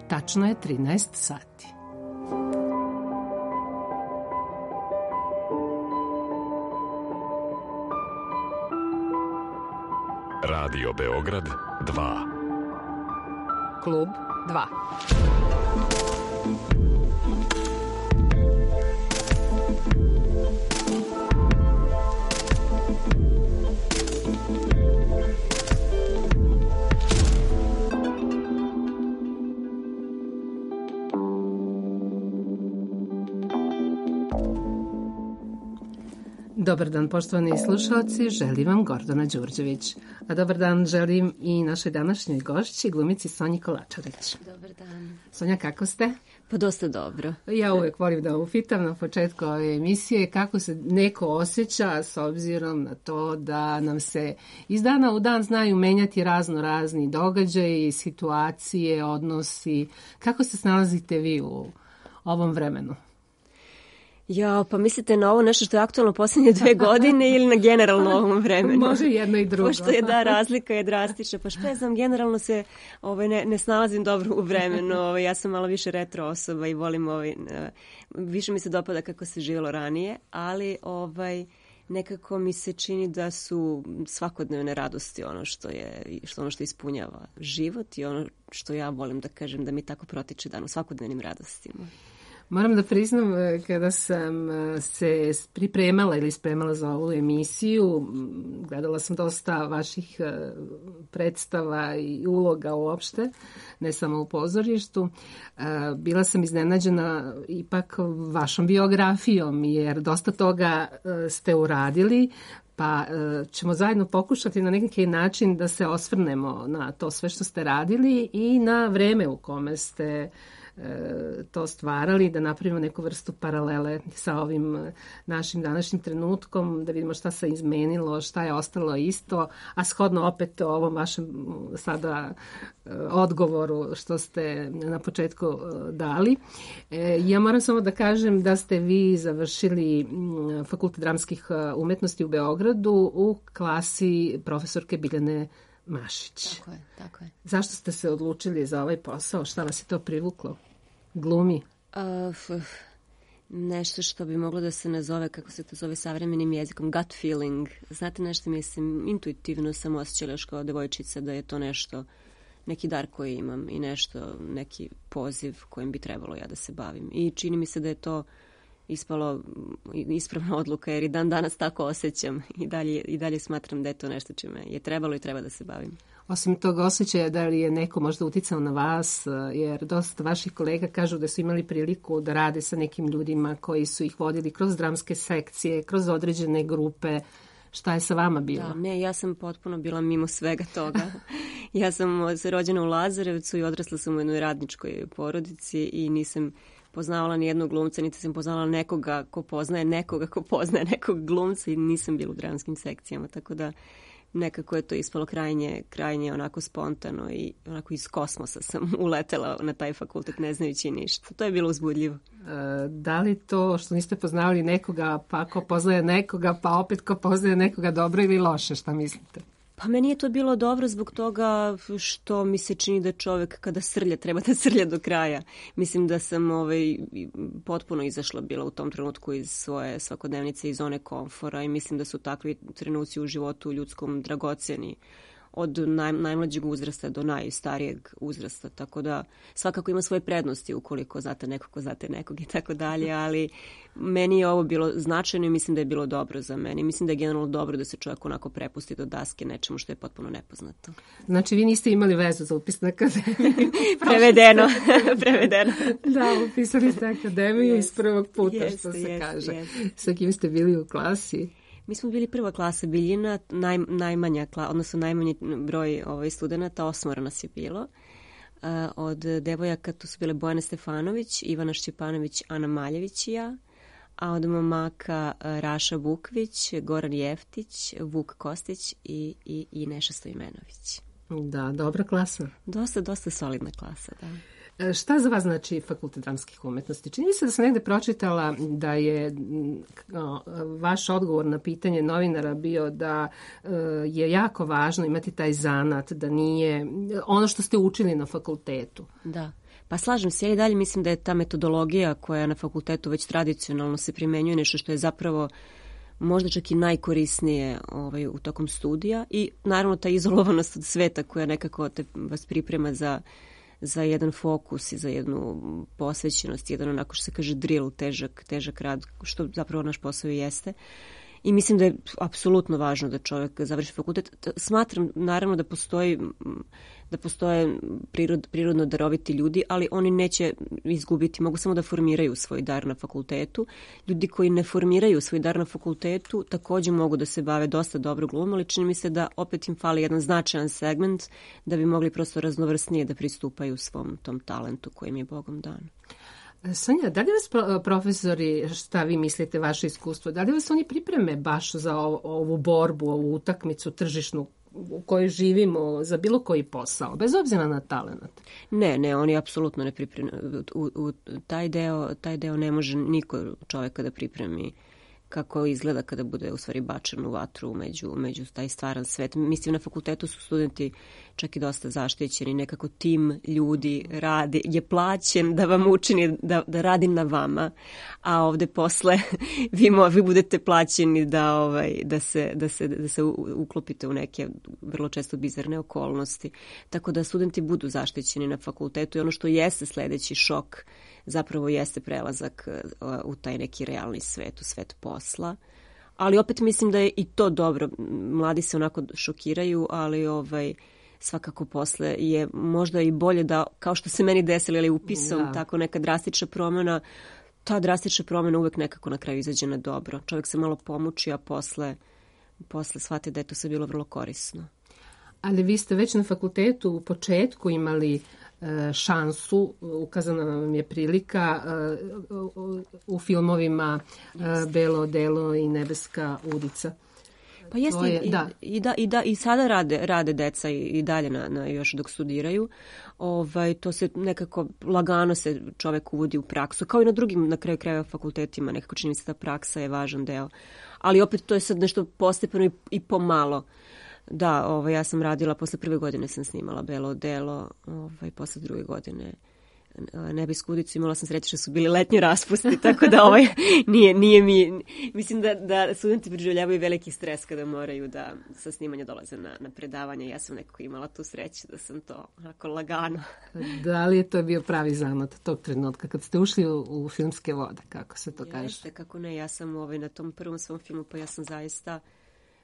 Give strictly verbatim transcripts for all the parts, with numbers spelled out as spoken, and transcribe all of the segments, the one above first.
Tačno je trinaest sati. Radio Beograd dva. Klub dva. Dobar dan, poštovani slušalci, želim vam Gordana Đurđević. A dobar dan želim i našoj današnjoj gošći, glumici Sonji Kolačareć. Dobar dan. Sonja, kako ste? Pa dosta dobro. Ja uvek volim da upitam na početku ove emisije kako se neko osjeća s obzirom na to da nam se iz dana u dan znaju menjati razno razni događaji, situacije, odnosi. Kako se snalazite vi u ovom vremenu? Ja, pa mislite na ovo nešto što je aktualno posljednje dve godine ili na generalno ovom vremenu? Može jedno i drugo. Pošto je da, razlika je drastična. Pa što ja znam, generalno se ovaj, ne, ne snalazim dobro u vremenu. Ovaj, ja sam malo više retro osoba i volim, ovaj, više mi se dopada kako se živjelo ranije, ali ovaj, nekako mi se čini da su svakodnevne radosti ono što je, što ono što ispunjava život i ono što ja volim da kažem da mi tako protiče dan u svakodnevnim radostima. Moram da priznam, kada sam se pripremala ili spremala za ovu emisiju, gledala sam dosta vaših predstava i uloga uopšte, ne samo u pozorištu. Bila sam iznenađena ipak vašom biografijom, jer dosta toga ste uradili, pa ćemo zajedno pokušati na neki način da se osvrnemo na to sve što ste radili i na vreme u kome ste to stvarali, da napravimo neku vrstu paralele sa ovim našim današnjim trenutkom, da vidimo šta se izmenilo, šta je ostalo isto, a shodno opet ovom vašem sada odgovoru što ste na početku dali. Ja moram samo da kažem da ste vi završili Fakultet dramskih umetnosti u Beogradu u klasi profesorke Biljane Mašić. Tako je, tako je. Zašto ste se odlučili za ovaj posao? Šta vas je to privuklo? Glumi? Uh, nešto što bi moglo da se nazove, kako se to zove savremenim jezikom, gut feeling. Znate nešto, mislim, intuitivno sam osjećala još kao devojčica da je to nešto, neki dar koji imam i nešto, neki poziv kojim bi trebalo ja da se bavim. I čini mi se da je to ispalo ispravna odluka, jer i dan danas tako osjećam i dalje, i dalje smatram da je to nešto čime je trebalo i treba da se bavim. Osim tog osjećaja, da li je neko možda uticao na vas, jer dosta vaših kolega kažu da su imali priliku da rade sa nekim ljudima koji su ih vodili kroz dramske sekcije, kroz određene grupe. Šta je sa vama bilo? Da, ne, ja sam potpuno bila mimo svega toga. Ja sam se rođena u Lazarevcu i odrasla sam u jednoj radničkoj porodici i nisam poznavala ni jednog glumca, niti sam poznavala nekoga ko poznaje nekoga ko poznaje nekog glumca i nisam bila u dramskim sekcijama, tako da nekako je to ispalo krajnje, krajnje onako spontano i onako iz kosmosa sam uletela na taj fakultet ne znajući ništa. To je bilo uzbudljivo. E, da li to što niste poznavali nekoga, pa ko poznaje nekoga, pa opet ko poznaje nekoga dobro ili loše, šta mislite? Pa meni je to bilo dobro zbog toga što mi se čini da čovjek kada srlja treba da srlja do kraja. Mislim da sam ovaj, potpuno izašla bila u tom trenutku iz svoje svakodnevnice, iz zone komfora i mislim da su takvi trenuci u životu ljudskom dragocjeni od naj, najmlađeg uzrasta do najstarijeg uzrasta, tako da svakako ima svoje prednosti ukoliko znate nekog ko znate nekog i tako dalje, ali meni je ovo bilo značajno i mislim da je bilo dobro za mene. Mislim da je generalno dobro da se čovjek onako prepusti do daske nečemu što je potpuno nepoznato. Znači vi niste imali vezu za upis na akademiju? Prevedeno. Prevedeno. Da, upisali ste akademiju yes. iz prvog puta, yes, što se yes, kaže. Yes. Sa kim ste bili u klasi? Mi smo bili prva klasa Biljina, naj, najmanja, odnosno najmanji broj ovaj, studenta, osmoro nas je bilo. Uh, od devojaka tu su bile Bojana Stefanović, Ivana Šćepanović, Ana Maljević i ja, a od momaka uh, Raša Vukvić, Goran Jeftić, Vuk Kostić i, i, i Neša Stojmenović. Da, dobra klasa. Dosta, dosta solidna klasa, da. Šta za vas znači fakultet dramskih umetnosti? Čini mi se da sam negde pročitala da je no, vaš odgovor na pitanje novinara bio da uh, je jako važno imati taj zanat, da nije ono što ste učili na fakultetu. Da. Pa slažem se, ja i dalje mislim da je ta metodologija koja na fakultetu već tradicionalno se primenjuje nešto što je zapravo možda čak i najkorisnije ovaj, u tokom studija i naravno ta izolovanost od sveta koja nekako te vas priprema za, za jedan fokus i za jednu posvećenost, jedan onako što se kaže drill, težak, težak rad, što zapravo naš posao i jeste. I mislim da je apsolutno važno da čovjek završi fakultet. Smatram naravno da postoji da postoje prirod, prirodno daroviti ljudi, ali oni neće izgubiti, mogu samo da formiraju svoj dar na fakultetu. Ljudi koji ne formiraju svoj dar na fakultetu također mogu da se bave dosta dobro glumom, ali čini mi se da opet im fali jedan značajan segment da bi mogli prosto raznovrsnije da pristupaju svom tom talentu kojim je Bogom dan. Sonja, da li vas profesori, šta vi mislite, vaše iskustvo, da li vas oni pripreme baš za ovu borbu, ovu utakmicu tržišnu u kojoj živimo, za bilo koji posao, bez obzira na talent? Ne, ne, oni apsolutno ne pripreme. U, u, taj, deo, taj deo ne može niko čovjeka da pripremi kako izgleda kada bude u stvari bačen u vatru među, među taj stvaran svet. Mislim, na fakultetu su studenti čak i dosta zaštićeni, nekako tim ljudi radi, je plaćen da vam učini da, da radi na vama, a ovde posle vi, mo, vi budete plaćeni da, ovaj, da, se, da, se, da se uklopite u neke vrlo često bizarne okolnosti. Tako da studenti budu zaštićeni na fakultetu i ono što jeste sledeći šok zapravo jeste prelazak u taj neki realni svet, u svet posla. Ali opet mislim da je i to dobro. Mladi se onako šokiraju, ali ovaj, svakako posle je možda i bolje da, kao što se meni desilo, ali upisom, da. Tako neka drastična promjena, ta drastična promjena uvek nekako na kraju izađe na dobro. Čovjek se malo pomuči, a posle, posle shvati da je to sve bilo vrlo korisno. Ali vi ste već na fakultetu u početku imali šansu, ukazana vam je prilika u filmovima Belo odelo i Nebeska udica. Pa jeste, je, i, da. I, da, i, da, i sada rade, rade deca i, i dalje na, na još dok studiraju. Ovaj, to se nekako lagano se čovjek uvodi u praksu, kao i na drugim na kraju krajeva fakultetima, nekako čini mi se da praksa je važan deo. Ali opet to je sad nešto postepeno i, i pomalo. Da, ovaj, ja sam radila, posle prve godine sam snimala Belo odelo, ovaj, posle druge godine Nebesku udicu, imala sam sreće što su bili letnji raspusti, tako da ovaj, nije, nije mi, mislim da, da studenti preživljavaju veliki stres kada moraju da sa snimanja dolaze na, na predavanje. Ja sam nekako imala tu sreću da sam to onako lagano. Da li je to bio pravi zanat tog trenutka kad ste ušli u, u filmske vode, kako se to kaže? Jeste, kako ne, ja sam ovaj, na tom prvom svom filmu, pa ja sam zaista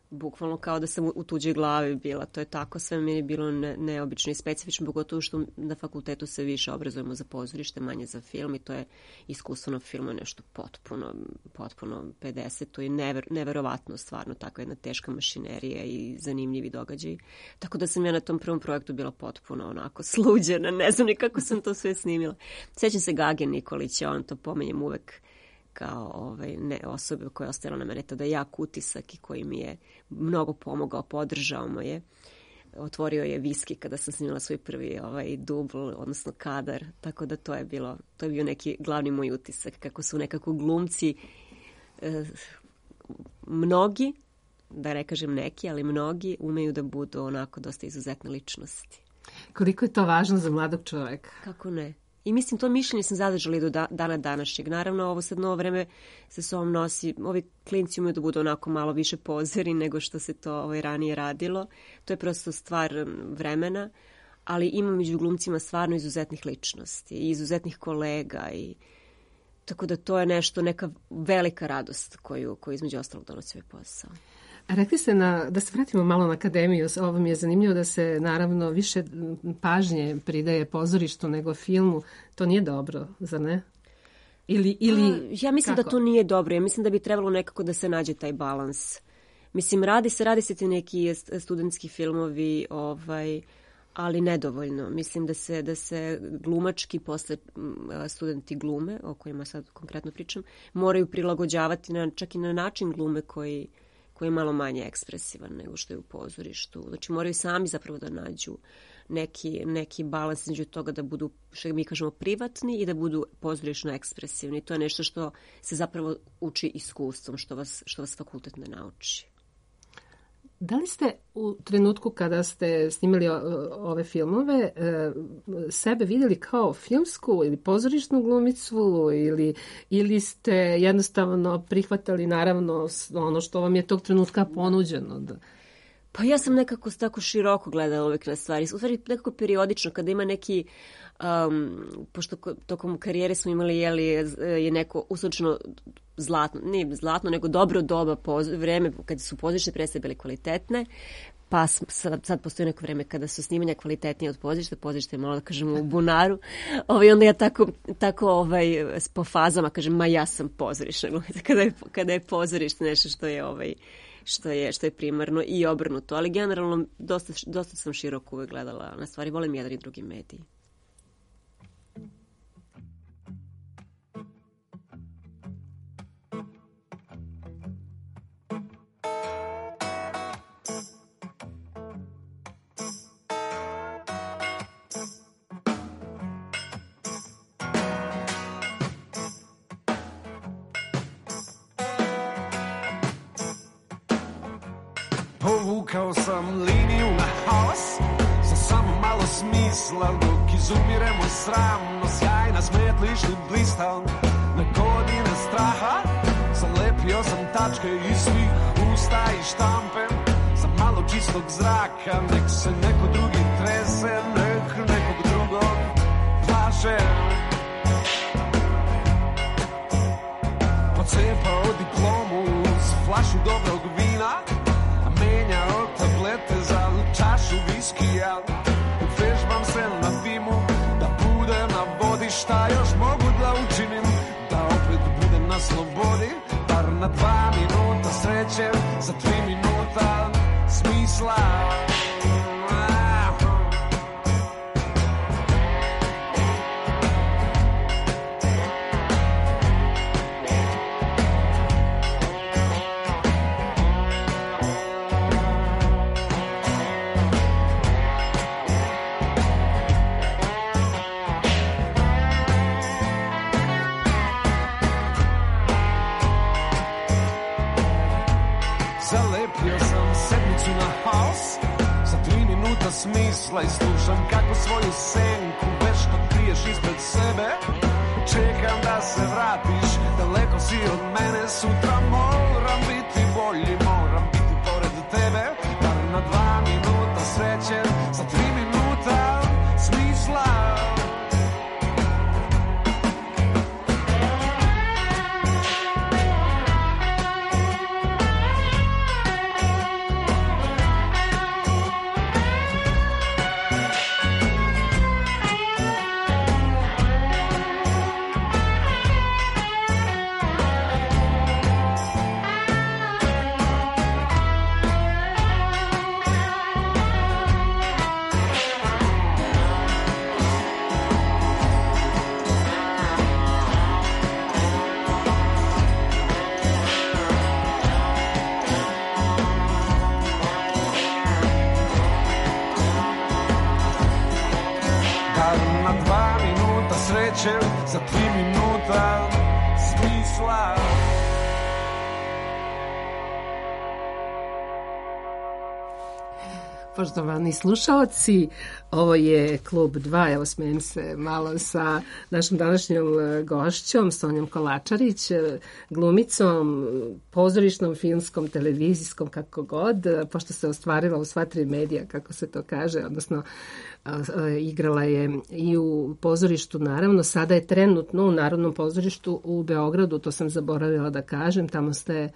bukvalno kao da sam u tuđoj glavi bila. To je tako, sve mi je bilo ne, neobično i specifično, pogotovo što na fakultetu se više obrazujemo za pozorište, manje za film i to je iskustvo na filmu nešto potpuno, potpuno pedeseto i never, neverovatno stvarno, takva jedna teška mašinerija i zanimljivi događaj. Tako da sam ja na tom prvom projektu bila potpuno onako sluđena, ne znam ni kako sam to sve snimila. Sjećam se Gage Nikolića, on to pomenjem uvek kao ovaj, ne, osobe koja je ostavila na mene tada jak utisak i koji mi je mnogo pomogao, podržao me je. Otvorio je viski kada sam snimala svoj prvi ovaj, dubl, odnosno kadar, tako da to je bilo, to je bio neki glavni moj utisak, kako su nekako glumci, eh, mnogi, da ne kažem neki, ali mnogi umeju da budu onako dosta izuzetne ličnosti. Koliko je to važno za mladog čovjeka? Kako ne? I mislim, to mišljenje sam zadržala i do da, dana današnjeg. Naravno, ovo sad novo vreme se s ovom nosi. Ovi klinci umiju da budu onako malo više pozeri nego što se to ovaj, ranije radilo. To je prosto stvar vremena, ali ima među glumcima stvarno izuzetnih ličnosti i izuzetnih kolega. I tako da to je nešto, neka velika radost koju, koju između ostalog donosi ovaj posao. A rekli ste na, da se vratimo malo na akademiju, ovo mi je zanimljivo da se naravno više pažnje pridaje pozorištu nego filmu. To nije dobro, zar ne? Ili, ili, A, ja mislim kako? Da to nije dobro. Ja mislim da bi trebalo nekako da se nađe taj balans. Mislim, radi se, radi se ti neki studentski filmovi, ovaj, ali nedovoljno. Mislim da se, da se glumački posle studenti glume, o kojima sad konkretno pričam, moraju prilagođavati na, čak i na način glume koji koji je malo manje ekspresivan nego što je u pozorištu. Znači moraju sami zapravo da nađu, neki, neki balans između toga da budu, što mi kažemo, privatni i da budu pozorišno ekspresivni. To je nešto što se zapravo uči iskustvom, što vas, što vas fakultet ne nauči. Da li ste u trenutku kada ste snimali ove filmove sebe vidjeli kao filmsku ili pozorišnu glumicu ili, ili ste jednostavno prihvatali naravno ono što vam je tog trenutka ponuđeno? Da... Pa ja sam nekako tako široko gledala uvijek na stvari. U stvari nekako periodično kada ima neki, um, pošto tokom karijere smo imali jeli, je neko uslučno zlatno, ne zlatno, nego dobro doba, poz, vreme kad su pozorišne predstave bile kvalitetne, pa sad, sad postoji neko vreme kada su snimanja kvalitetnije od pozorišta, pozorište je malo da kažemo u bunaru, ovaj, onda ja tako, tako ovaj, po fazama kažem, ma ja sam pozorišna glumica, kada je, kada je pozorište nešto što je ovaj, što je, što je primarno i obrnuto, ali generalno dosta, dosta sam široko uvek gledala na stvari, volim jedan i drugi mediji. Povukao sam liniju na haos, sa samo malo smisla, dok izumiremo sramno, sjajna smetlišni blistal. Na godine straha zalepio sam tačke iz svih usta i štampe, za malo čistog zraka, nek se neko drugi trese, nek nekog drugog plaže. Pocepao diplomu uz flašu dobrog vina, menjao tablete za čašu viskija. Vežbam se na dimu, da budem na vodi. Šta još mogu da učinim, da opet budem na slobodi? Bar na dva minuta sreće, za tri minuta smisla. Smisla i slušam kako svoju senku vešto kriješ ispred sebe. Čekam da se vratiš, daleko si od mene. Sutra moram biti bolji, moram biti pored tebe. Bar na dva minuta sreće, za tri minuta smisla. Za tri minuta smisla. Poštovani slušaoci, ovo je Klub dva, evo smijem se malo sa našom današnjom gošćom, Sonjom Kolačarić, glumicom, pozorišnom, filmskom, televizijskom, kako god, pošto se ostvarila u sva tri medija, kako se to kaže, odnosno igrala je i u pozorištu, naravno, sada je trenutno u Narodnom pozorištu u Beogradu, to sam zaboravila da kažem, tamo ste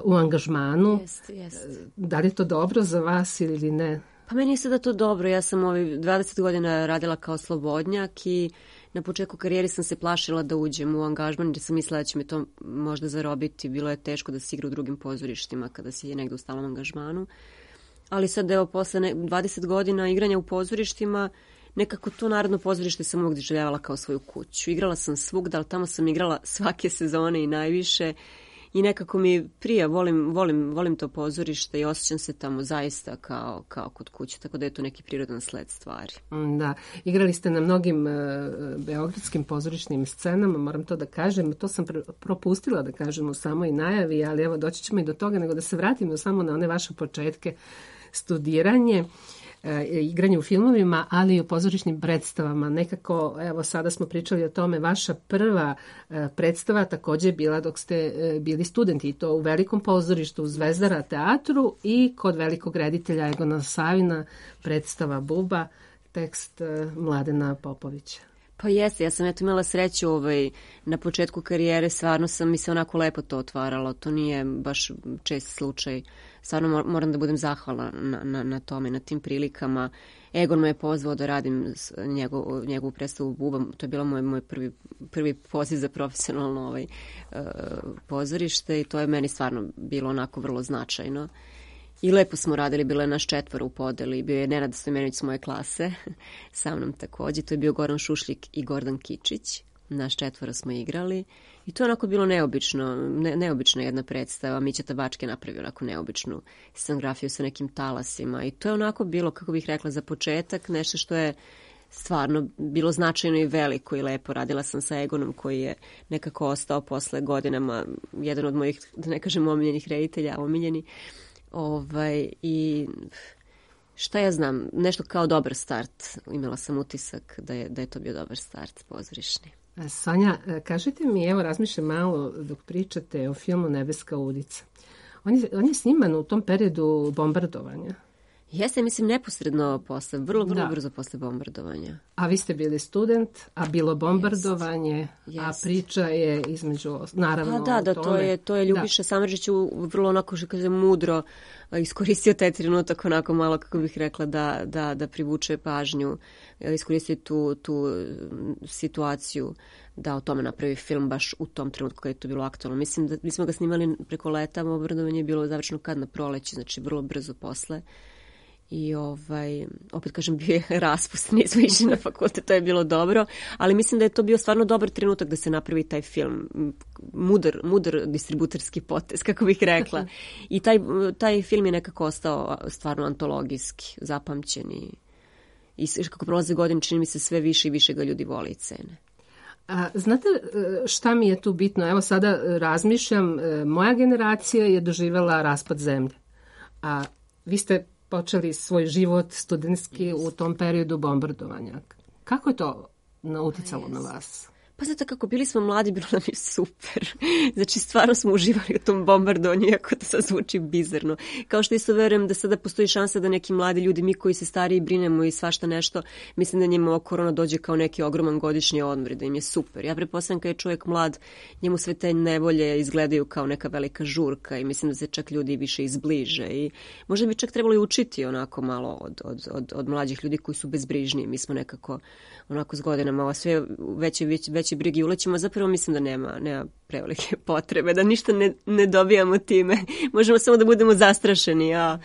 u angažmanu. Jest, jest. Da li je to dobro za vas ili ne? Pa meni je sada to dobro. Ja sam ovih dvadeset godina radila kao slobodnjak i na početku karijere sam se plašila da uđem u angažman jer sam mislila da će me to možda zarobiti. Bilo je teško da se igra u drugim pozorištima kada si je negdje u stalnom angažmanu. Ali sad evo posle dvadeset godina igranja u pozorištima nekako to Narodno pozorište sam uvijek doživljavala kao svoju kuću. Igrala sam svugda, ali tamo sam igrala svake sezone i najviše. i nekako mi prija, volim, volim, volim to pozorište i osjećam se tamo zaista kao, kao kod kuće, tako da je to neki prirodan sled stvari. Da, igrali ste na mnogim uh, beogradskim pozorišnim scenama, moram to da kažem, to sam pr- propustila da kažem u samoj najavi, ali evo doći ćemo i do toga, nego da se vratimo samo na one vaše početke, studiranje, igranje u filmovima, ali i u pozorišnim predstavama. Nekako, evo sada smo pričali o tome, vaša prva predstava također je bila dok ste bili studenti, i to u velikom pozorištu u Zvezdara teatru i kod velikog reditelja Egona Savina, predstava Buba, tekst Mladena Popovića. Pa jeste, ja sam eto imala sreću ovaj, na početku karijere, stvarno sam mi se onako lepo to otvaralo, to nije baš čest slučaj. Stvarno moram da budem zahvalna na, na, na tome, na tim prilikama. Egon me je pozvao da radim njegov, njegovu predstavu Buba, to je bilo moj, moj prvi, prvi poziv za profesionalno ovaj, uh, pozorište i to je meni stvarno bilo onako vrlo značajno. I lepo smo radili, bilo je naš četvoro u podeli, bio je Nenad Stojmenović s moje klase, sa mnom također, to je bio Goran Šušljik i Gordan Kičić, naš četvoro smo igrali i to je onako bilo neobično, ne, neobična jedna predstava, Mića Tabački je napravio onako neobičnu scenografiju sa nekim talasima i to je onako bilo, kako bih rekla, za početak nešto što je stvarno bilo značajno i veliko i lepo. Radila sam sa Egonom koji je nekako ostao posle godinama jedan od mojih, da ne kažem omiljenih reditelja, omiljeni. Ovaj, i šta ja znam, nešto kao dobar start. Imala sam utisak da je, da je to bio dobar start pozorišni. Sonja, kažite mi, evo razmišljam malo dok pričate o filmu Nebeska ulica. On je, on je sniman u tom periodu bombardovanja. Jeste, mislim, neposredno posle, vrlo, vrlo da. brzo posle bombardovanja. A vi ste bili student, a bilo bombardovanje, yes. a priča je između, naravno, a da, da, to je, to je Ljubiša Samardžić vrlo onako, što kaže, mudro iskoristio taj trenutak onako malo, kako bih rekla, da, da, da privuče pažnju, iskoristio tu, tu situaciju da o tome napravi film baš u tom trenutku kada je to bilo aktualno. Mislim da mi smo ga snimali preko leta, bombardovanje je bilo završeno kad na proleći, znači vrlo brzo posle. I ovaj, opet kažem, bio je raspust, nismo išli na fakultet, to je bilo dobro, ali mislim da je to bio stvarno dobar trenutak da se napravi taj film, mudar, mudar distributerski potez, kako bih rekla. I taj, taj film je nekako ostao stvarno antologijski, zapamćen i, i kako prolaze godine, čini mi se sve više i više ga ljudi vole i cene. A, znate šta mi je tu bitno? Evo sada razmišljam, moja generacija je doživjela raspad zemlje, a vi ste počeli svoj život studentski u tom periodu bombardovanja. Kako je to uticalo na vas? Pa znate kako, bili smo mladi, bilo nam je super. Znači, stvarno smo uživali u tom bombardovanju, iako to sad zvuči bizarno. Kao što isto verujem da sada postoji šansa da neki mladi ljudi, mi koji se stariji brinemo i svašta nešto, mislim da njima korona dođe kao neki ogroman godišnji odmor, da im je super. Ja pretpostavljam kad je čovjek mlad, njemu sve te nevolje izgledaju kao neka velika žurka i mislim da se čak ljudi više izbliže. I možda bi čak trebalo učiti onako malo od, od, od, od mlađih ljudi koji su bezbrižniji. Mi smo nekako onako s godinama, ovo sve veće, veće, veće brige ulećemo, zapravo mislim da nema, nema prevelike potrebe, da ništa ne, ne dobijamo time. Možemo samo da budemo zastrašeni, a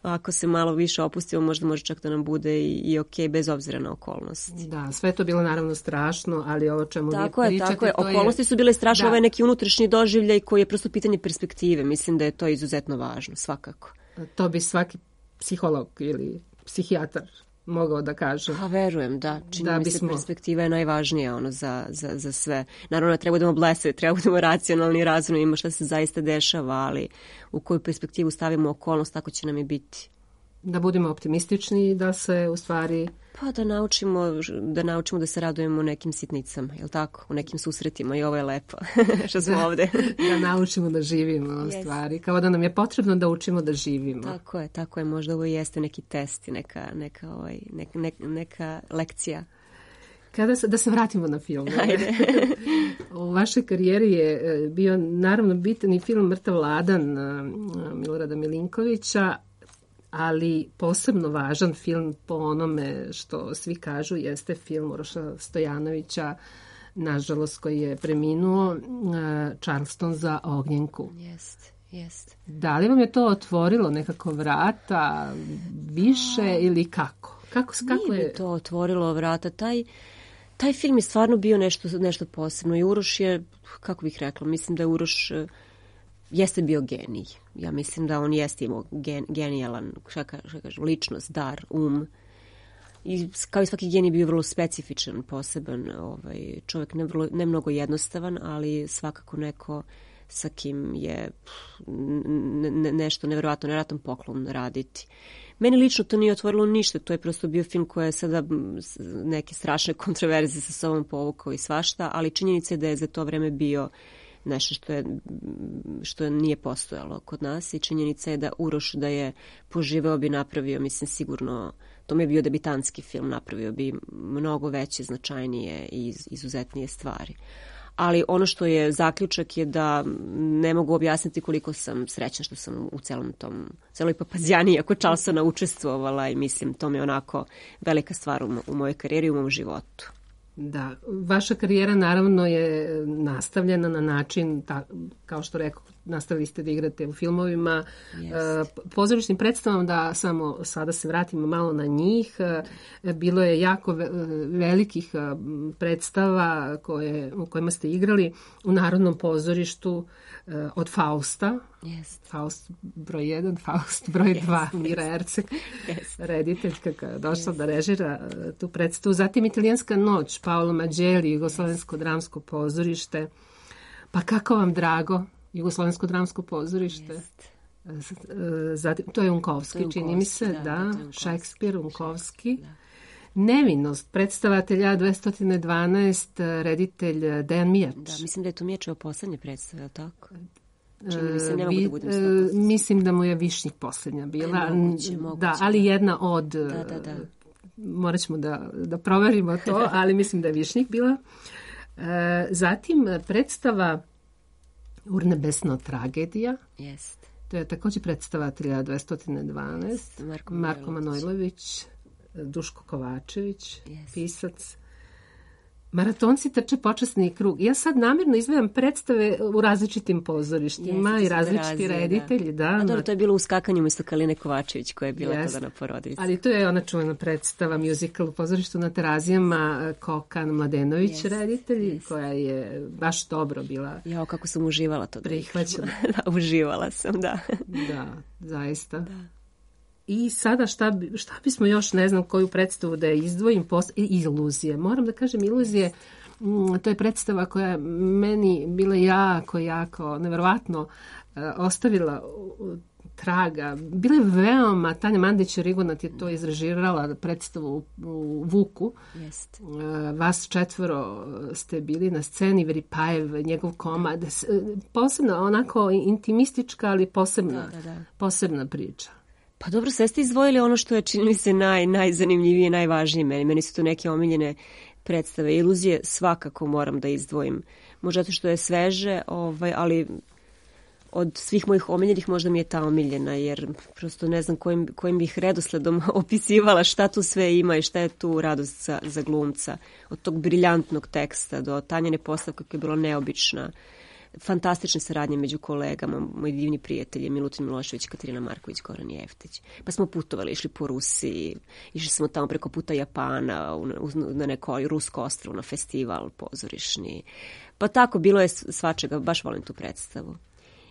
ako se malo više opustimo, možda može čak da nam bude i, i ok, bez obzira na okolnosti. Da, sve je to bilo naravno strašno, ali ovo čemu tako vi je, pričate... Tako je, to okolnosti je... su bile strašne, da. Ovo je neki unutrašnji doživljaj koji je prosto pitanje perspektive. Mislim da je to izuzetno važno, svakako. To bi svaki psiholog ili psihijatar mogao da kaže. Pa verujem, da. Čini da mi bismo... se perspektiva je najvažnija ono, za, za, za sve. Naravno, treba budemo blesavi, treba budemo racionalni i razumni, ima šta se zaista dešava, ali u koju perspektivu stavimo okolnost, tako će nam i biti. Da budemo optimistični i da se u stvari... Pa da naučimo, da naučimo da se radujemo nekim sitnicama, je li tako? U nekim susretima i ovo je lepo što smo da, ovde. Da naučimo da živimo u yes. stvari. Kao da nam je potrebno da učimo da živimo. Tako je, tako je. Možda ovo jeste neki test i neka, neka, ovaj, neka, neka, neka lekcija. Kada se, da se vratimo na film. Ajde. U vašoj karijeri je bio naravno bitan i film Mrtav ladan Milorada Milinkovića, ali posebno važan film po onome što svi kažu jeste film Uroša Stojanovića, nažalost koji je preminuo, Charleston za Ognjenku. Jest, jest. Da li vam je to otvorilo nekako vrata više A... ili kako? Kako, kako Nije je to otvorilo vrata? Taj, taj film je stvarno bio nešto, nešto posebno i Uroš je, kako bih rekla, mislim da je Uroš jeste bio genij. Ja mislim da on jeste imao gen, genijalan, šta kažem, ličnost, dar, um. I kao i svaki genij bio vrlo specifičan, poseban. Ovaj, čovjek ne, vrlo, ne mnogo jednostavan, ali svakako neko sa kim je ne, nešto nevjerojatno, nevjerojatan poklon raditi. Meni lično to nije otvorilo ništa, to je prosto bio film koji je sada neke strašne kontroverze sa sobom povukao i svašta, ali činjenica je da je za to vreme bio nešto što je što nije postojalo kod nas i činjenica je da Uroš da je poživeo bi napravio, mislim sigurno, to mi je bio debitanski film, napravio bi mnogo veće, značajnije i izuzetnije stvari. Ali ono što je zaključak je da ne mogu objasniti koliko sam srećna što sam u celom tom, celoj papazjaniji ako Charlesona učestvovala i mislim to mi je onako velika stvar u, u mojoj karijeri i u mom životu. Da, vaša karijera naravno je nastavljena na način, ta, kao što rekao, nastavili ste da igrate u filmovima, yes. pozorišnim predstavama, da samo sada se vratimo malo na njih. Bilo je jako velikih predstava koje, u kojima ste igrali u Narodnom pozorištu, od Fausta, yes. Faust broj jedan, Faust broj dva, yes. Mira Erceg, yes. rediteljka koja je došla yes. da režira tu predstavu. Zatim Italijanska noć, Paolo Maggielli, Jugoslovensko dramsko pozorište. Pa kako vam drago, Jugoslovensko dramsko pozorište? Yes. Zatim, to je Unkovski, to čini mi se, da, da Šekspir, Unkovski. Da. Nevinost, predstavatelja dvesta dvanaest, reditelj Dejan Mijač. Da, mislim da je to Mijačeva poslednja predstava, tako? Čini mi se, ne mogu Vi, da budem sto posto. Mislim da mu je Višnjik poslednja bila. E, moguće, moguće. Da, ali jedna od... Da, da, da. Morat ćemo da, da proverimo to, ali mislim da je Višnjik bila. Zatim predstava Urnebesna tragedija. Jeste. To je također predstavatelja dvesta dvanaest. Marko, Marko Manojlović. Duško Kovačević, yes. pisac. Maratonci trče počasni krug. Ja sad namjerno izvedam predstave u različitim pozorištima yes, i različiti reditelji. Da. Da, A dobro, to je bilo u Skakanju umjesto Kaline Kovačević koja je bila yes. tada na porodici. Ali to je ona čuvena predstava, musical u pozorištu na Terazijama, Kokan Mladenović yes, reditelj, yes. koja je baš dobro bila. Jao, kako sam uživala to. Prihvaćam. Da, uživala sam, da. Da, zaista. Da. I sada šta, bi, šta bismo još, ne znam koju predstavu da je izdvojim, pos... Iluzije. Moram da kažem, Iluzije, to je predstava koja je meni bila jako, jako, neverovatno ostavila traga. Bila je veoma, Tanja Mandić-Rigonat je to izrežirala predstavu u Vuku. Jest. Vas četvoro ste bili na sceni, Veripajev, njegov komad. Posebno, onako intimistička, ali posebna, da, da, da. posebna priča. Pa dobro, sve ste izdvojili ono što je, čini mi se, naj, najzanimljivije, najvažnije meni. Meni su to neke omiljene predstave. Iluzije svakako moram da izdvojim. Možda to što je sveže, ovaj, ali od svih mojih omiljenih možda mi je ta omiljena, jer prosto ne znam kojim, kojim bih redosledom opisivala šta tu sve ima i šta je tu radost za, za glumca. Od tog briljantnog teksta do Tanjine postavke koja je bila neobična. Fantastične saradnje među kolegama, moji divni prijatelji Milutin Milošević, Katarina Marković, Goran Jeftić. Pa smo putovali, išli po Rusiji, išli smo tamo preko puta Japana, na neko rusko ostrvo, na festival pozorišni. Pa tako, bilo je svačega, baš volim tu predstavu.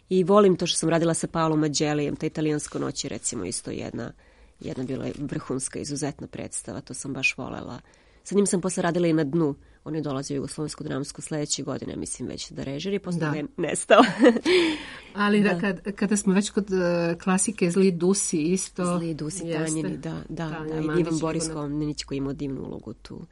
I volim to što sam radila sa Paolom Maggiellijem, ta Italijansko noć je recimo isto jedna, jedna bila vrhunska, izuzetna predstava, to sam baš volela. Sa njim sam posle radila i Na dnu. On je dolazio u Jugoslovensko dramsko sledeće godine, mislim već da režiri, posle da je nestao. Ali da, kad, kada smo već kod uh, klasike Zli Dusi isto... Zli Dusi, Tanjini, da, da, da. I Ivan Boris Komnenić koji ima divnu ulogu tu.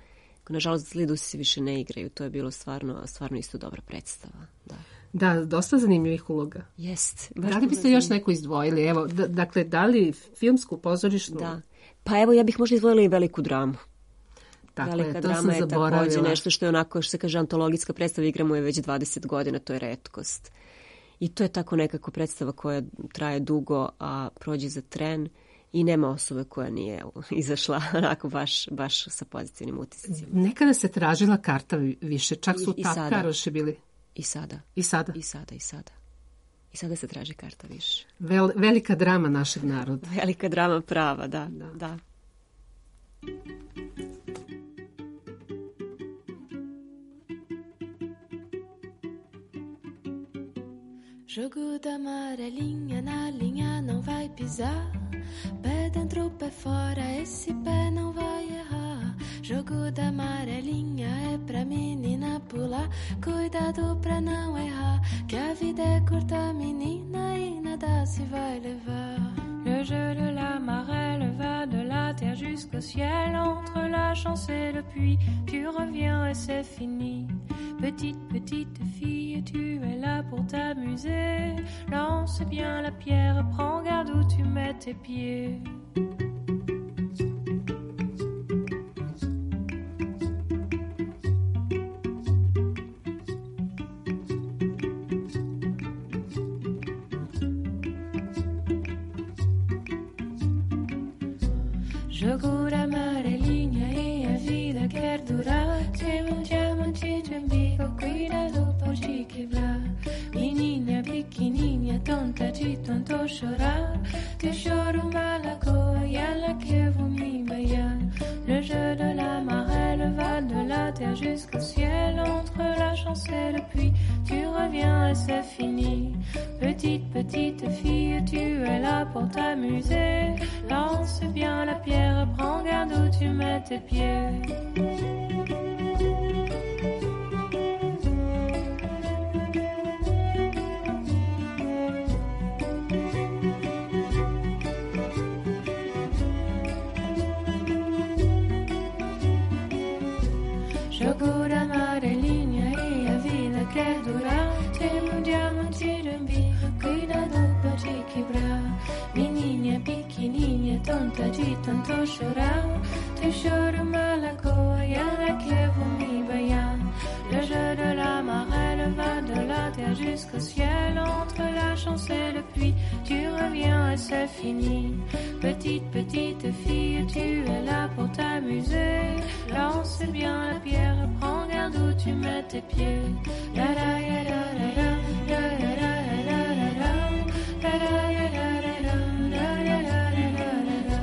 Nažalost, Zli Dusi se više ne igraju, to je bilo stvarno, stvarno isto dobra predstava. Da. Da, dosta zanimljivih uloga. Jest. Da li biste još neku izdvojili? Evo, d- dakle, da li filmsku, pozorišnu? Da. Pa evo, ja bih možda izdvojila i Veliku dramu. Dakle, Velika to drama sam je također nešto što je onako, što se kaže, antologijska predstava, igramo je već dvadeset godina, to je retkost. I to je tako nekako predstava koja traje dugo, a prođe za tren i nema osobe koja nije izašla onako baš, baš sa pozitivnim utiscima. Nekada se tražila karta više, čak su I, tapkaroši bili. I sada. I sada. I sada, i sada. I sada se traži karta više. Vel, velika drama našeg naroda. Velika drama prava, da, da. da. Jogo da amarelinha na linha, não vai pisar. Pé dentro, pé fora, esse pé não vai errar. Jogo da amarelinha é pra menina pular. Cuidado pra não errar, que a vida é curta, menina, e nada se vai levar. Le jeu de la marelle va de la terre jusqu'au ciel. Entre la chance et le puits, tu reviens et c'est fini. Petite, petite fille, tu es là pour t'amuser. Lance bien la pierre, prends garde où tu mets tes pieds. Jogo da amarelinha e a vida quer durar. Tem um diamante de umbigo, cuidado por te quebrar. Menina pequenininha, tonta de tanto chorar. Teu choro uma lagoa e ela que vou me banhar. Le jeu de la marelle va de la terre jusqu'au ciel. Entre la chance et le puits, tu reviens et c'est fini. Petite, petite fille, tu es là pour t'amuser. Lance bien la pierre, prends garde où tu mets tes pieds. Jogo da amarelinha e a vida quer durar. Tem um diamante de umbigo, cuidado pra te quebrar. Menina pequenininha, tonta de tanto chorar. Teu choro uma lagoa e ela que vou me banhar. Le jeu de la marelle va de la terre jusqu'au ciel. Entre la chance et le puits, tu reviens et c'est fini. Petite, petite fille, tu es là pour t'amuser. Lance bien la pierre, prends garde où tu mets tes pieds. La la ya la la la, la la la la la la, la la ya la la la, la la la la la la,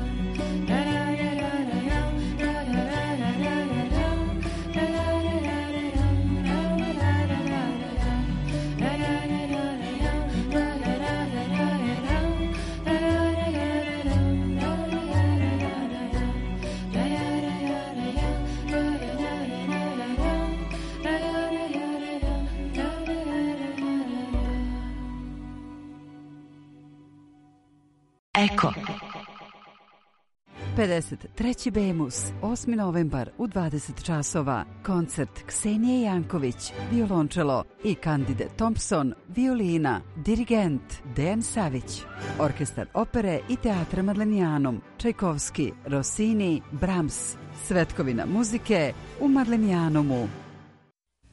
la la ya la la la, la la la la la la, la la ya la la la, la la la la la la, la la ya la la la, la la la la la la, la la ya la la la, la la la la la la, la la ya la la la, la la la la Eko. pedeset treći Bemus, osmi novembar u dvadeset časova. Koncert Ksenije Janković, violončelo i Candide Thompson, violina, dirigent Dejan Savić. Orkestar opere i teatra Madlenijanum, Čajkovski, Rossini, Brahms. Svetkovina muzike u Madlenijanumu.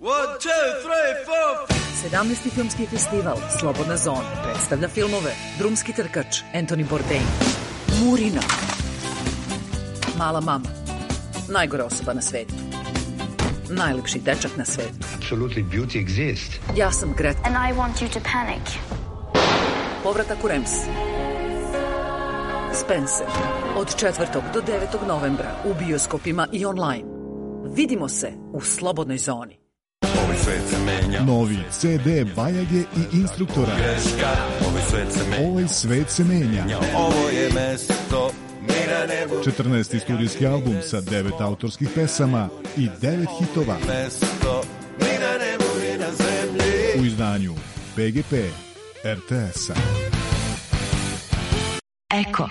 One, two, three, four. sedamnaesti filmski festival Slobodna zona predstavlja filmove Drumski trkač Anthony Bourdain, Murina, Mala mama, Najgora osoba na svetu, Najlepši dečak na svetu, Absolutely beauty exists. Ja sam Greta, And I want you to panic. Povratak u Rems, Spencer, od četvrtog do devetog novembra u bioskopima i online. Vidimo se u Slobodnoj zoni. Novi ce de Bajage i Instruktora. Ovaj svet se menja. Ovo je mesto mi na nebu. četrnaesti studijski album sa devet autorskih pesama i devet hitova. Mesto mi na nebu i na zemlji. U izdanju be ge pe er te es-a. Eko.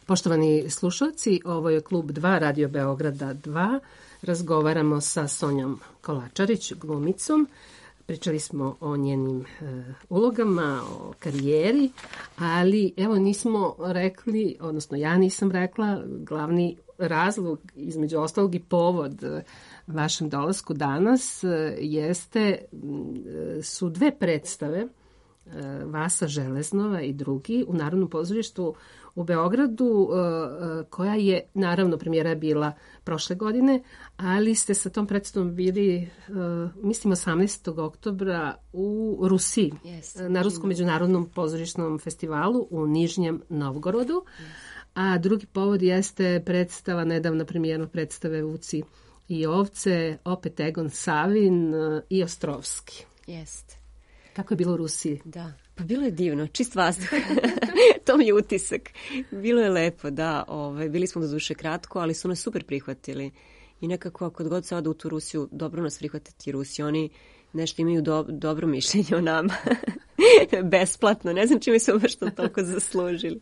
Poštovani slušalci, ovo je Klub dva Radio Beograda dva. Razgovaramo sa Sonjom Kolačarić, glumicom. Pričali smo o njenim e, ulogama, o karijeri, ali evo nismo rekli, odnosno ja nisam rekla, glavni razlog, između ostalog i povod e, vašem dolasku danas e, jeste, e, su dve predstave e, Vasa Železnova i drugi u Narodnom pozorištu u Beogradu, koja je, naravno, premijera je bila prošle godine, ali ste sa tom predstavom bili, mislim, osamnaestog oktobra u Rusiji, yes, na Ruskom međunarodnom pozorišnom festivalu u Nižnjem Novgorodu. Yes. A drugi povod jeste predstava, nedavna premijerna predstave Vuci i ovce, opet Egon Savin i Ostrovski. Jeste. Kako je bilo u Rusiji? Da, pa bilo je divno, čist vazduh. To mi je utisak. Bilo je lepo, da. Ove, bili smo do duše kratko, ali su nas super prihvatili. I nekako, kod god se ode u tu Rusiju, dobro nas prihvatiti Rusi. Oni nešto imaju do, dobro mišljenje o nama. Besplatno. Ne znam čime smo baš to toliko zaslužili.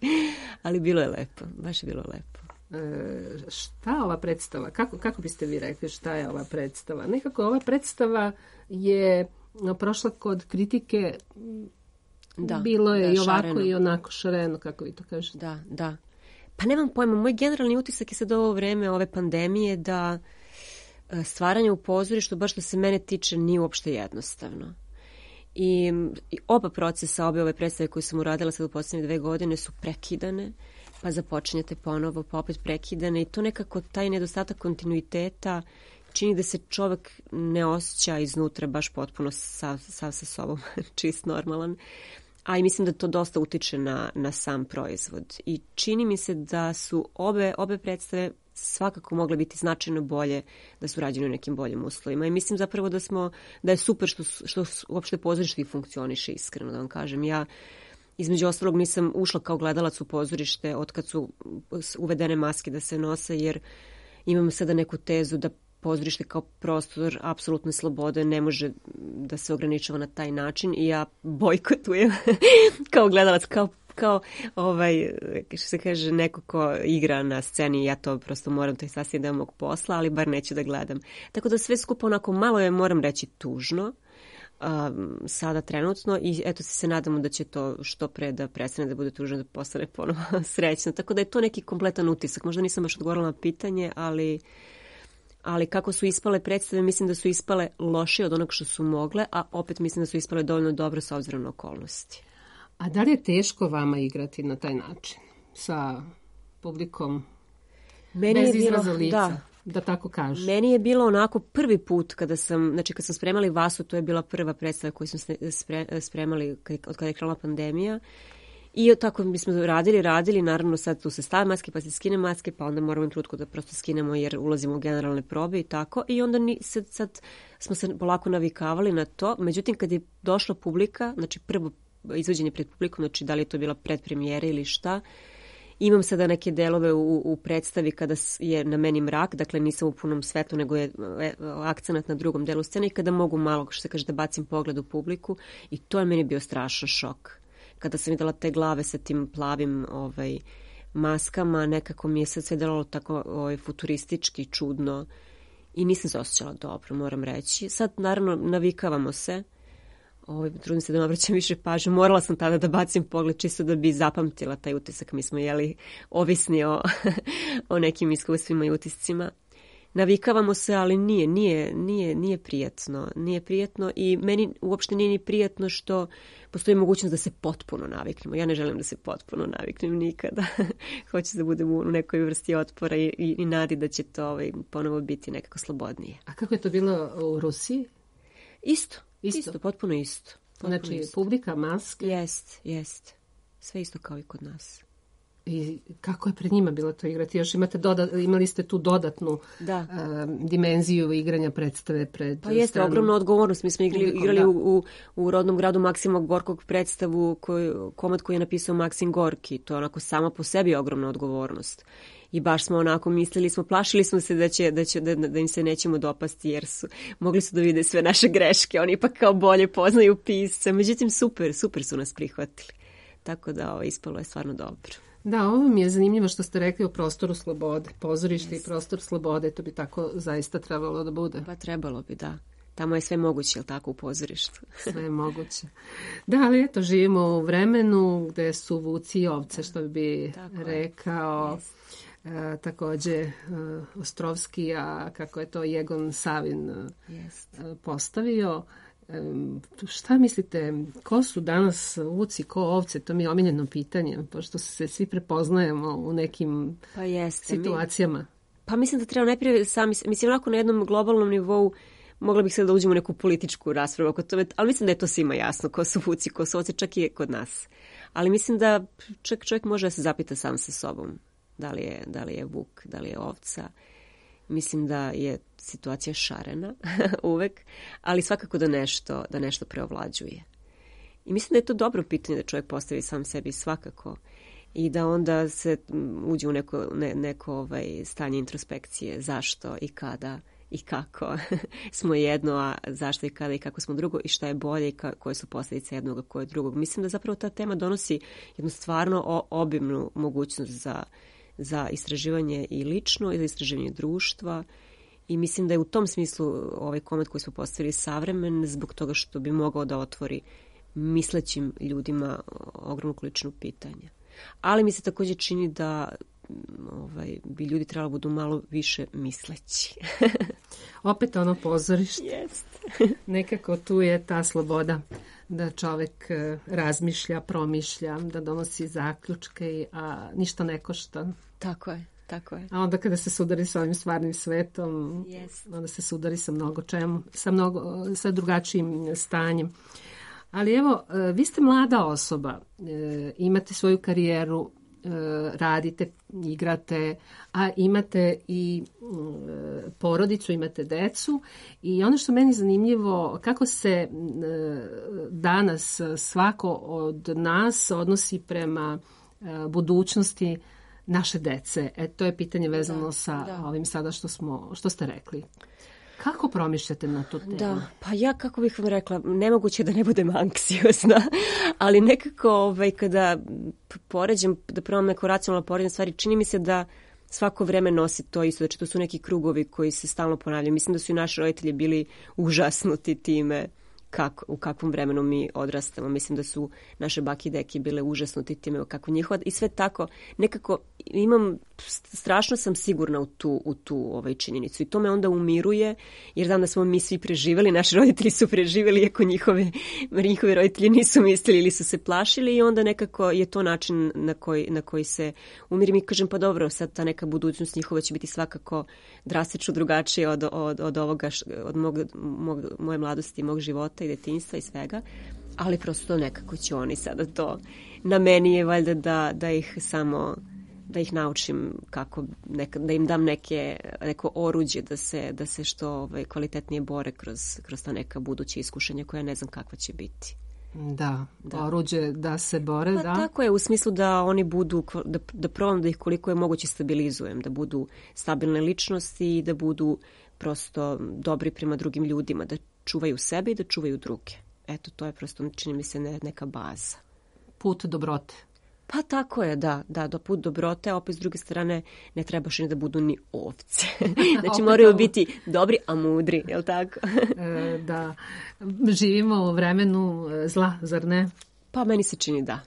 Ali bilo je lepo. Baš je bilo lepo. E, šta ova predstava? Kako, kako biste vi rekli šta je ova predstava? Nekako ova predstava je prošla kod kritike. Da, bilo je da, i ovako šareno. I onako šareno, kako vi to kažete. Da, da. Pa nemam pojma, moj generalni utisak je sad ovo vreme ove pandemije da stvaranje u pozorištu, baš što se mene tiče, nije uopšte jednostavno. I, i oba procesa, obe ove predstave koje sam uradila sad u posljednje dve godine su prekidane, pa započinjete ponovo, pa opet prekidane i to nekako taj nedostatak kontinuiteta čini da se čovjek ne osjeća iznutra baš potpuno sav, sav sa sobom, čist normalan. A i mislim da to dosta utiče na, na sam proizvod. I čini mi se da su obe, obe predstave svakako mogle biti značajno bolje da su rađene u nekim boljim uslovima. I mislim zapravo da smo, da je super što, što uopšte pozorište funkcioniše, iskreno da vam kažem. Ja između ostalog nisam ušla kao gledalac u pozorište od kad su uvedene maske da se nose, jer imam sada neku tezu da pozorište kao prostor apsolutne slobode ne može da se ograničava na taj način i ja bojkotujem kao gledalac, kao, kao ovaj, što se kaže, neko ko igra na sceni, ja to prosto moram, to je sasvim deo mog posla, ali bar neću da gledam. Tako da sve skupo onako malo je, moram reći, tužno um, sada trenutno i eto se nadamo da će to što pre da prestane da bude tužno, da postane ponovo srećno. Tako da je to neki kompletan utisak. Možda nisam baš odgovorila na pitanje, ali ali kako su ispale predstave, mislim da su ispale loše od onog što su mogle, a opet mislim da su ispale dovoljno dobro s obzirom na okolnosti. A da li je teško vama igrati na taj način? Sa publikom Meni bez je izraza bilo, lica, da. da tako kažem? Meni je bilo onako prvi put kada sam, znači kad sam spremali Vasu, to je bila prva predstava koju smo spremali od kada je krenula pandemija. I tako mi smo radili, radili, naravno sad tu se stave maske, pa se skine maske, pa onda moramo im trutko da prosto skinemo jer ulazimo u generalne probe i tako. I onda ni, sad, sad smo se polako navikavali na to. Međutim, kad je došla publika, znači prvo izvođenje pred publikom, znači da li je to bila predpremijera ili šta, imam sada neke delove u, u predstavi kada je na meni mrak, dakle nisam u punom svetlu, nego je akcenat na drugom delu scene i kada mogu malo, što se kaže, da bacim pogled u publiku i to je meni bio strašan šok. Kada sam videla te glave sa tim plavim ovaj, maskama, nekako mi je sad sve delalo tako ovaj, futuristički, čudno i nisam se osjećala dobro, moram reći. Sad, naravno, navikavamo se. Ovaj, trudim se da ne obraćam više pažnje. Morala sam tada da bacim pogled čisto da bi zapamtila taj utisak. Mi smo jeli ovisni o, o nekim iskustvima i utiscima. Navikavamo se, ali nije, nije, nije, nije prijatno. Nije prijatno i meni uopšte nije ni prijatno što postoji mogućnost da se potpuno naviknemo. Ja ne želim da se potpuno naviknem nikada. Hoću da budem u nekoj vrsti otpora i, i, i nadi da će to ovaj, ponovo biti nekako slobodnije. A kako je to bilo u Rusiji? Isto, isto, isto potpuno isto. Potpuno znači, isto. Publika, maske? Jest, jest. Sve isto kao i kod nas. I kako je pred njima bilo to igrati? Još imate doda, imali ste tu dodatnu da. uh, dimenziju igranja predstave pred Pa jeste, stranom. ogromna odgovornost. Mi smo igrali, Publikom, igrali da. u, u, u rodnom gradu Maksima Gorkog predstavu, koju, komad koji je napisao Maksim Gorki. To je onako sama po sebi ogromna odgovornost. I baš smo onako mislili smo, plašili smo se da, će, da, će, da, da im se nećemo dopasti jer su mogli su da vide sve naše greške. Oni ipak kao bolje poznaju pisce. Međutim, super, super su nas prihvatili. Tako da ovo, ispalo je stvarno dobro. Da, ovo mi je zanimljivo što ste rekli o prostoru slobode. Pozorište yes. i prostor slobode, to bi tako zaista trebalo da bude. Pa trebalo bi, da. Tamo je sve moguće, jel tako, u pozorištu? Sve je moguće. Da, ali eto, živimo u vremenu gde su vuci i ovce, što bi tako rekao yes. e, takođe e, Ostrovski, a kako je to Jegon Savin yes. e, postavio. Šta mislite, ko su danas vuci, ko ovce? To mi je omiljeno pitanje, pošto se svi prepoznajemo u nekim pa jeste, situacijama. Mi, pa mislim da treba najprije sami, mislim onako na jednom globalnom nivou mogla bih sad da uđemo u neku političku raspravu oko tome, ali mislim da je to svima jasno, ko su vuci, ko su ovce, čak i kod nas. Ali mislim da čak čovjek može da se zapita sam sa sobom, da li je, da li je vuk, da li je ovca. Mislim da je situacija šarena uvek, ali svakako da nešto, da nešto preovlađuje. I mislim da je to dobro pitanje da čovjek postavi sam sebi svakako i da onda se uđe u neko, ne, neko ovaj, stanje introspekcije, zašto i kada i kako smo jedno, a zašto i kada i kako smo drugo i šta je bolje i ka, koje su posljedice jednog, a koje drugog. Mislim da zapravo ta tema donosi jednu stvarno obimnu mogućnost za, za istraživanje i lično i za istraživanje društva. I mislim da je u tom smislu ovaj koment koji smo postavili savremen zbog toga što bi mogao da otvori mislećim ljudima ogromnu količinu pitanja. Ali mi se također čini da ovaj, bi ljudi trebalo budu malo više misleći. Opet ono pozorište. Jest. Nekako tu je ta sloboda da čovjek razmišlja, promišlja, da donosi zaključke, a ništa ne košta. Tako je. Tako je. A onda kada se sudari sa ovim stvarnim svetom, yes. onda se sudari sa mnogo čemu, sa, mnogo, sa drugačijim stanjem. Ali evo, vi ste mlada osoba, imate svoju karijeru, radite, igrate, a imate i porodicu, imate decu i ono što meni zanimljivo, kako se danas svako od nas odnosi prema budućnosti naše dece. E, to je pitanje vezano da, sa da. ovim sada što, smo, što ste rekli. Kako promišljate na tu temu? Da, pa ja, kako bih vam rekla, nemoguće da ne budem anksiozna, ali nekako ovaj, kada poređem, da probam neko racionalno poređenje stvari, čini mi se da svako vreme nosi to isto, znači to su neki krugovi koji se stalno ponavljaju. Mislim da su i naši roditelji bili užasnuti time kako, u kakvom vremenu mi odrastamo. Mislim da su naše bake i deke bile užasnuti time kako njihova i sve tako nekako imam, strašno sam sigurna u tu, u tu ovaj činjenicu i to me onda umiruje jer znam da smo mi svi preživjeli, naši roditelji su preživjeli iako njihove, njihovi roditelji nisu mislili ili su se plašili i onda nekako je to način na koji, na koji se umirim i kažem pa dobro, sad ta neka budućnost njihova će biti svakako drastično drugačija od, od, od ovoga, od mog, mog, moje mladosti, mog života i detinjstva i svega, ali prosto nekako će oni sada to. Na meni je valjda da, da ih samo da ih naučim kako neka, da im dam neke, neko oruđe da se, da se što ovaj, kvalitetnije bore kroz, kroz ta neka buduća iskušenja koja ne znam kakva će biti. Da, da. Oruđe da se bore, pa, da. Tako je, u smislu da oni budu, da, da probam da ih koliko je moguće stabilizujem, da budu stabilne ličnosti i da budu prosto dobri prema drugim ljudima, da čuvaju sebe i da čuvaju druge. Eto, to je prosto, čini mi se, ne, neka baza. Put dobrote. Pa tako je, da, da, do put dobrote, a opet s druge strane ne trebaš ni da budu ni ovce. Znači moraju biti dobri, a mudri, je li tako? e, da, živimo u vremenu zla, zar ne? Pa meni se čini da,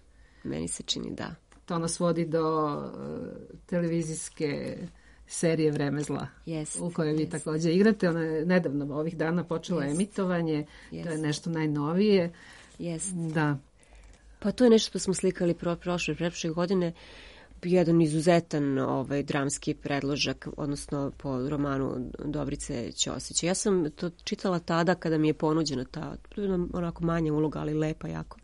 meni se čini da. To nas vodi do uh, televizijske serije Vreme zla, yes, u kojoj vi yes. također igrate. Ona je nedavno ovih dana počela yes. emitovanje, yes. to je nešto najnovije. Yes. Da. Pa to je nešto što smo slikali pro, prošle, prošle godine, jedan izuzetan ovaj, dramski predložak, odnosno po romanu Dobrice Ćosića. Ja sam to čitala tada kada mi je ponuđena ta onako manja uloga, ali lepa jako.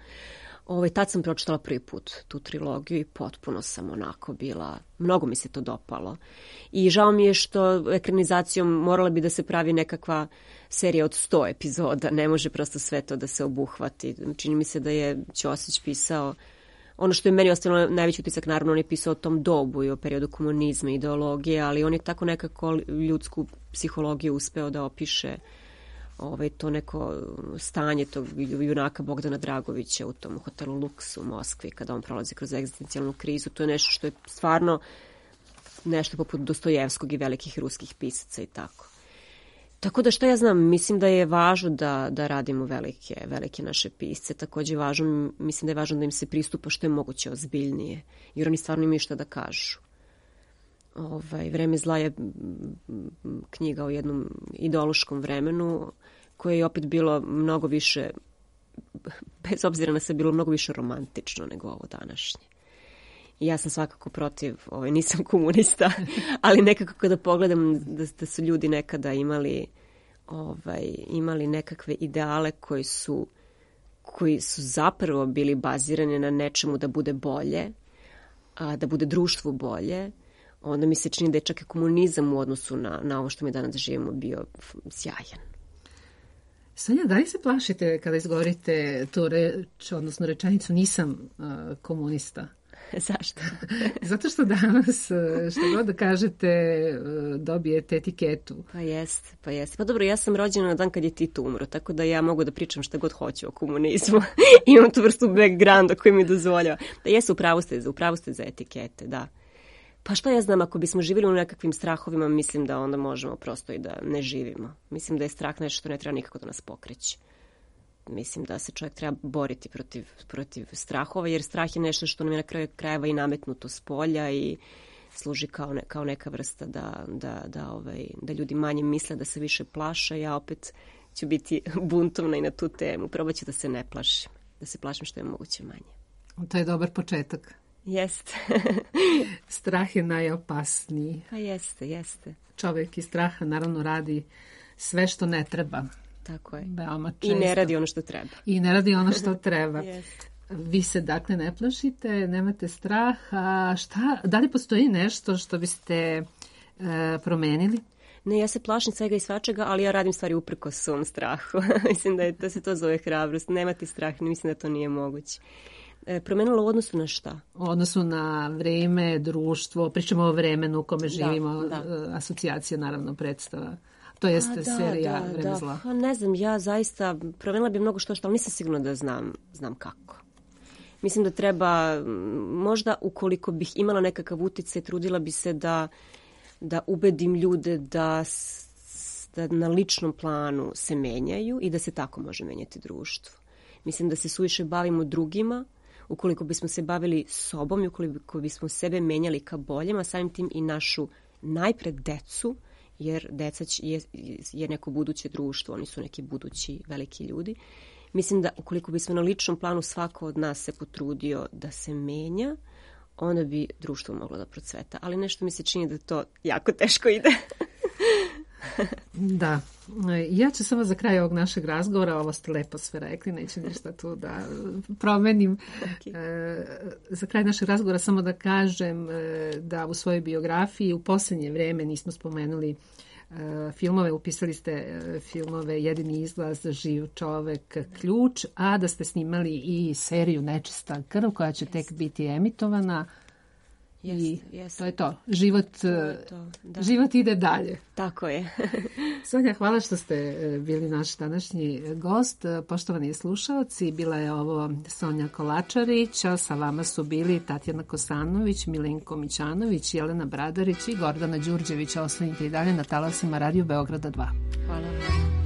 Ovaj, tad sam pročitala prvi put tu trilogiju i potpuno sam onako bila, mnogo mi se to dopalo. I žao mi je što ekranizacijom morala bi da se pravi nekakva serija od sto epizoda, ne može prosto sve to da se obuhvati. Čini mi se da je Ćosić pisao, ono što je meni ostalo najveći utisak, naravno on je pisao o tom dobu i o periodu komunizma i ideologije, ali on je tako nekako ljudsku psihologiju uspeo da opiše ovaj, to neko stanje tog junaka Bogdana Dragovića u tom hotelu Luks u Moskvi kada on prolazi kroz egzistencijalnu krizu. To je nešto što je stvarno nešto poput Dostojevskog i velikih ruskih pisaca i tako. Tako da što ja znam, mislim da je važno da, da radimo velike, velike naše pisce. Također važno, mislim da je važno da im se pristupa što je moguće ozbiljnije, jer oni stvarno imaju šta da kažu. Ovaj, Vreme zla je knjiga o jednom ideološkom vremenu koje je opet bilo mnogo više, bez obzira na sve, bilo mnogo više romantično nego ovo današnje. I ja sam svakako protiv, ovaj, nisam komunista, ali nekako kada pogledam da, da su ljudi nekada imali, ovaj, imali nekakve ideale koji su, koji su zapravo bili bazirani na nečemu da bude bolje, a, da bude društvo bolje, onda mi se čini da je čak i komunizam u odnosu na, na ovo što mi danas živimo bio sjajan. Sonja, da li se plašite kada izgovorite tu reč, odnosno rečenicu nisam uh, komunista? Zašto? Zato što danas, što god da kažete, dobijete etiketu. Pa jeste, pa jeste. Pa dobro, ja sam rođena na dan kad je Tito umro, tako da ja mogu da pričam šta god hoću o komunizmu. Imam tu vrstu backgrounda koji mi dozvoljava. Da jesu, upravo ste, upravo ste za etikete, da. Pa šta ja znam, ako bismo živjeli u nekakvim strahovima, mislim da onda možemo prosto i da ne živimo. Mislim da je strah nešto što ne treba nikako da nas pokreće. Mislim da se čovjek treba boriti protiv, protiv strahova, jer strah je nešto što nam je na kraju krajeva i nametnuto s polja i služi kao, ne, kao neka vrsta da, da, da, ovaj, da ljudi manje misle, da se više plaše. Ja opet ću biti buntovna i na tu temu. Probat ću da se ne plašim, da se plašim što je moguće manje. To je dobar početak. Jeste. Strah je najopasniji. Pa jeste, jeste. Čovjek iz straha naravno radi sve što ne treba. Tako je. Veoma često. I ne radi ono što treba. I ne radi ono što treba. Yes. Vi se dakle ne plašite, nemate strah, a šta, da li postoji nešto što biste e, promenili? Ne, ja se plašim svega i svačega, ali ja radim stvari uprkos svom strahu. Mislim da, je, da se to zove hrabrost. Nemati strah, mislim da to nije moguće. E, promenilo u odnosu na šta? U odnosu na vreme, društvo, pričamo o vremenu u kome živimo, da, da. Asocijacija naravno predstava. To jeste da, serija da, Vreme da. zla. Pa ne znam, ja zaista promenila bi mnogo što što, ali nisam sigurna da znam, znam kako. Mislim da treba, možda ukoliko bih imala nekakav uticaj, trudila bi se da, da ubedim ljude da, da na ličnom planu se menjaju i da se tako može menjati društvo. Mislim da se suviše bavimo drugima, ukoliko bismo se bavili sobom i ukoliko bismo sebe menjali ka boljem, a samim tim i našu najpred decu, jer deca je, je neko buduće društvo, oni su neki budući veliki ljudi. Mislim da ukoliko bismo na ličnom planu svako od nas se potrudio da se menja, onda bi društvo moglo da procveta. Ali nešto mi se čini da to jako teško ide. Da. Ja ću samo za kraj ovog našeg razgovora, ovo ste lepo sve rekli, neću ništa tu da promenim. Okay. Za kraj našeg razgovora samo da kažem da u svojoj biografiji u posljednje vrijeme nismo spomenuli filmove, upisali ste filmove Jedini izlaz, Živ čovek, Ključ, a da ste snimali i seriju Nečista krv koja će tek biti emitovana. Yes, I yes. to je to. Život, to je to, da. Život ide dalje. Tako je. Sonja, hvala što ste bili naš današnji gost. Poštovani slušalci, bila je ovo Sonja Kolačarić, a sa vama su bili Tatjana Kosanović, Milenko Mićanović, Jelena Bradarić i Gordana Đurđević. Ostanite i dalje na talasima Radio Beograda dva. Hvala vam.